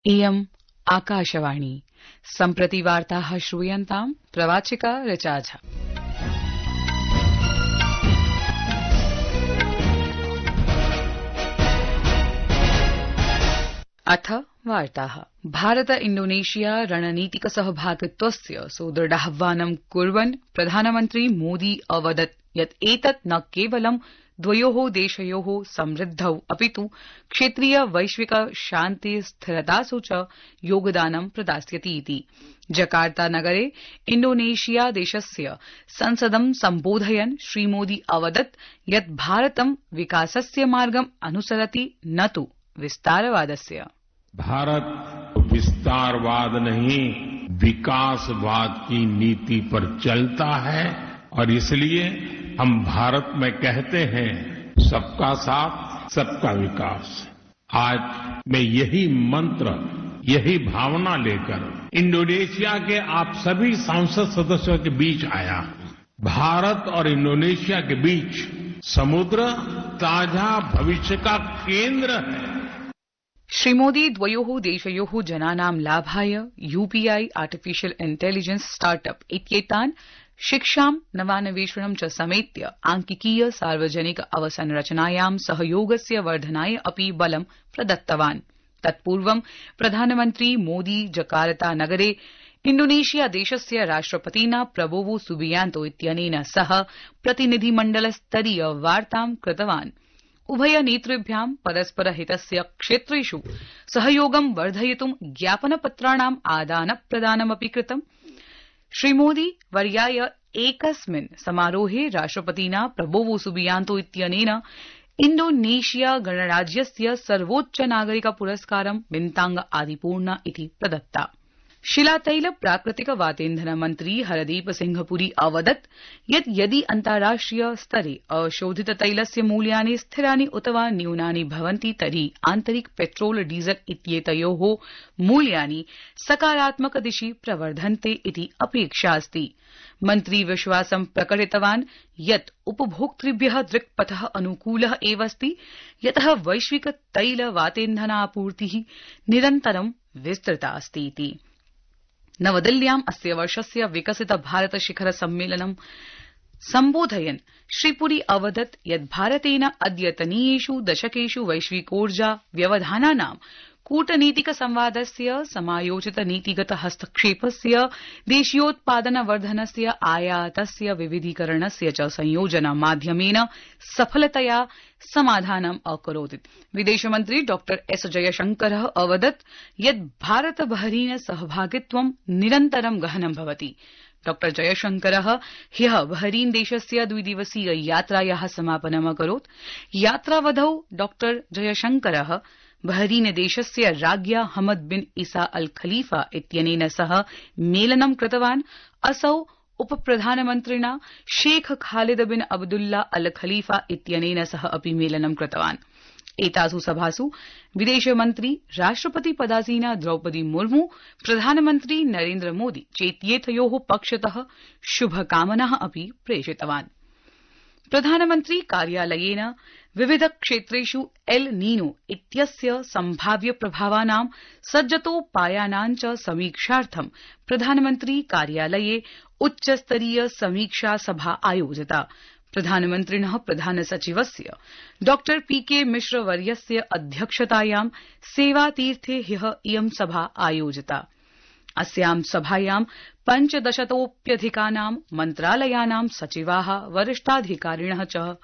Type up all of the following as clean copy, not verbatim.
इयम् आकाशवाणी सम्प्रति वार्ताः श्रूयन्ताम् प्रवाचिका ऋचा झा। अथ वार्ताः। भारत इण्डोनेशिया रणनीतिक सहभागित्वस्य सुदृढाह्वानं कुर्वन् प्रधानमन्त्री मोदी अवदत् यत् एतत् न केवलं द्वयोः देशयोः समृद्धौ अपितु क्षेत्रीय वैश्विक शान्ति स्थिरतासु च योगदानं प्रदास्यति इति। जकार्ता नगरे इण्डोनेशिया देशस्य संसदं सम्बोधयन् श्रीमोदी अवदत् यत् भारतं विकासस्य मार्गम् अनुसरति न तु विस्तारवादस्य। भारत विस्तारवाद नहीं विकासवाद की नीति पर चलता है और इसलिए हम भारत में कहते हैं सबका साथ सबका विकास। आज मैं यही मंत्र यही भावना लेकर इंडोनेशिया के आप सभी संसद सदस्यों के बीच आया हूं। भारत और इंडोनेशिया के बीच समुद्र साझा भविष्य का केंद्र है। श्रीमोदी द्वयोः देशयोः जनानां लाभाय यूपीआई आर्टिफिशियल इंटेलिजेंस स्टार्टअप इत्येतान् शिक्षां नवान्वेषणं च समेत्य आंकिकीय सार्वजनिक अवसंरचनायां सहयोगस्य वर्धनाय अपि बलं प्रदत्तवान्। तत्पूर्वं प्रधानमन्त्री मोदी जकार्ता नगरे इण्डोनेशिया देशस्य राष्ट्रपतिना प्रबोवो सुबियांतो इत्यनेन सह प्रतिनिधिमण्डलस्तरीय वार्तां कृतवान्। उभय नेतृभ्यां परस्पर हितस्य क्षेत्रेषु सहयोगं वर्धयितुं ज्ञापनपत्राणां आदान प्रदानमपि कृतम्। श्रीमोदी वर्याय एकस्मिन् समारोहे राष्ट्रपतिना प्रबोवो सुबियांतो इत्यनेन इण्डोनेशिया गणराज्यस्य सर्वोच्च नागरिक पुरस्कारं बिन्तांग आदिपूर्णा इति प्रदत्ता। शिलातैल प्राकृतिक वातेन्धन मन्त्री हरदीप सिंह पुरी अवदत् यत् यदि अन्ताराष्ट्रिय स्तरे अशोधित तैलस्य मूल्यानि स्थिरानि उत वा न्यूनानि भवन्ति तर्हि आन्तरिक पेट्रोल डीजल इत्येतयोः मूल्यानि सकारात्मक दिशि प्रवर्धन्ते इति अपेक्षा अस्ति। मन्त्री विश्वासं प्रकटितवान् यत् उपभोक्तृभ्यः दृक्पथः अनुकूलः एव अस्ति यतः वैश्विक तैल वातेन्धनापूर्तिः निरन्तरं विस्तृता अस्ति इति। नवदिल्ल्याम् अस्य वर्षस्य विकसित भारत शिखर सम्मेलनं सम्बोधयन् श्रीपुरी अवदत् यत् भारतेन अद्यतनीयेषु दशकेषु वैश्विकोर्जा व्यवधानानां कूटनीतिक संवादस्य समायोजित नीतिगत हस्तक्षेपस्य देशीयोत्पादनवर्धनस्य आयातस्य विविधीकरणस्य च संयोजन माध्यमेन सफलतया समाधानम् अकरोत्। विदेशमन्त्री डॉ एस जयशंकरः अवदत् यत् भारत बहरीन सहभागित्वं निरन्तरं गहनं भवति। डॉ जयशंकरः ह्यः बहरीन देशस्य द्विदिवसीय यात्रायाः समापनम् अकरोत्। यात्रावधौ डॉ जयशंकरः बहरीन देशस्य राज्ञा हमद बिन ईसा अल खलीफा इत्यनेन सह मेलनं कृतवान्। असौ उपप्रधानमन्त्रिणा शेख खालिद बिन अब्दुल्ला अल खलीफा इत्यनेन सह अपि मेलनं कृतवान्। एतासु सभासु विदेशमन्त्री राष्ट्रपति पदासीना द्रौपदी मुर्मू प्रधानमन्त्री नरेन्द्र मोदी चेत्येतयोः पक्षतः शुभकामनाः अपि प्रेषितवान्। प्रधानमन्त्री कार्यालयेन विविध क्षेत्रेषु एल नीनो इत्यस्य सम्भाव्य प्रभावानां सज्जतोपायानां च समीक्षार्थं प्रधानमन्त्री कार्यालये उच्चस्तरीय समीक्षा सभा आयोजिता। प्रधानमन्त्रिणः प्रधान सचिवस्य डॉ पीके मिश्र वर्यस्य अध्यक्षतायां सेवातीर्थे ह्यः इयं सभा आयोजिता। अस्यां सभायां 1500तोऽप्यधिकानां मन्त्रालयानां सचिवाः वरिष्ठाधिकारिणः च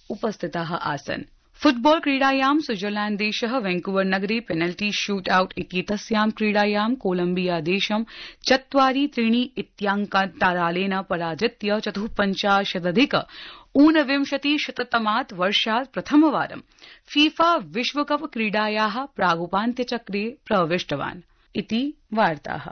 उपस्थिताः आसन्। फुटबॉल क्रीडायां स्विट्जरलैण्ड देशः वैंकूवर नगरे पेनल्टी शूट आउट इत्येतस्यां क्रीडायां कोलम्बिया देशं 4-3 इत्याङ्कान्तरालेन पराजित्य 54 ऊनविंशतिशततमात् वर्षात् प्रथमवारं फीफा विश्वकप क्रीडायाः प्रागुपान्त्यचक्रे प्रविष्टवान् इति वार्ताः।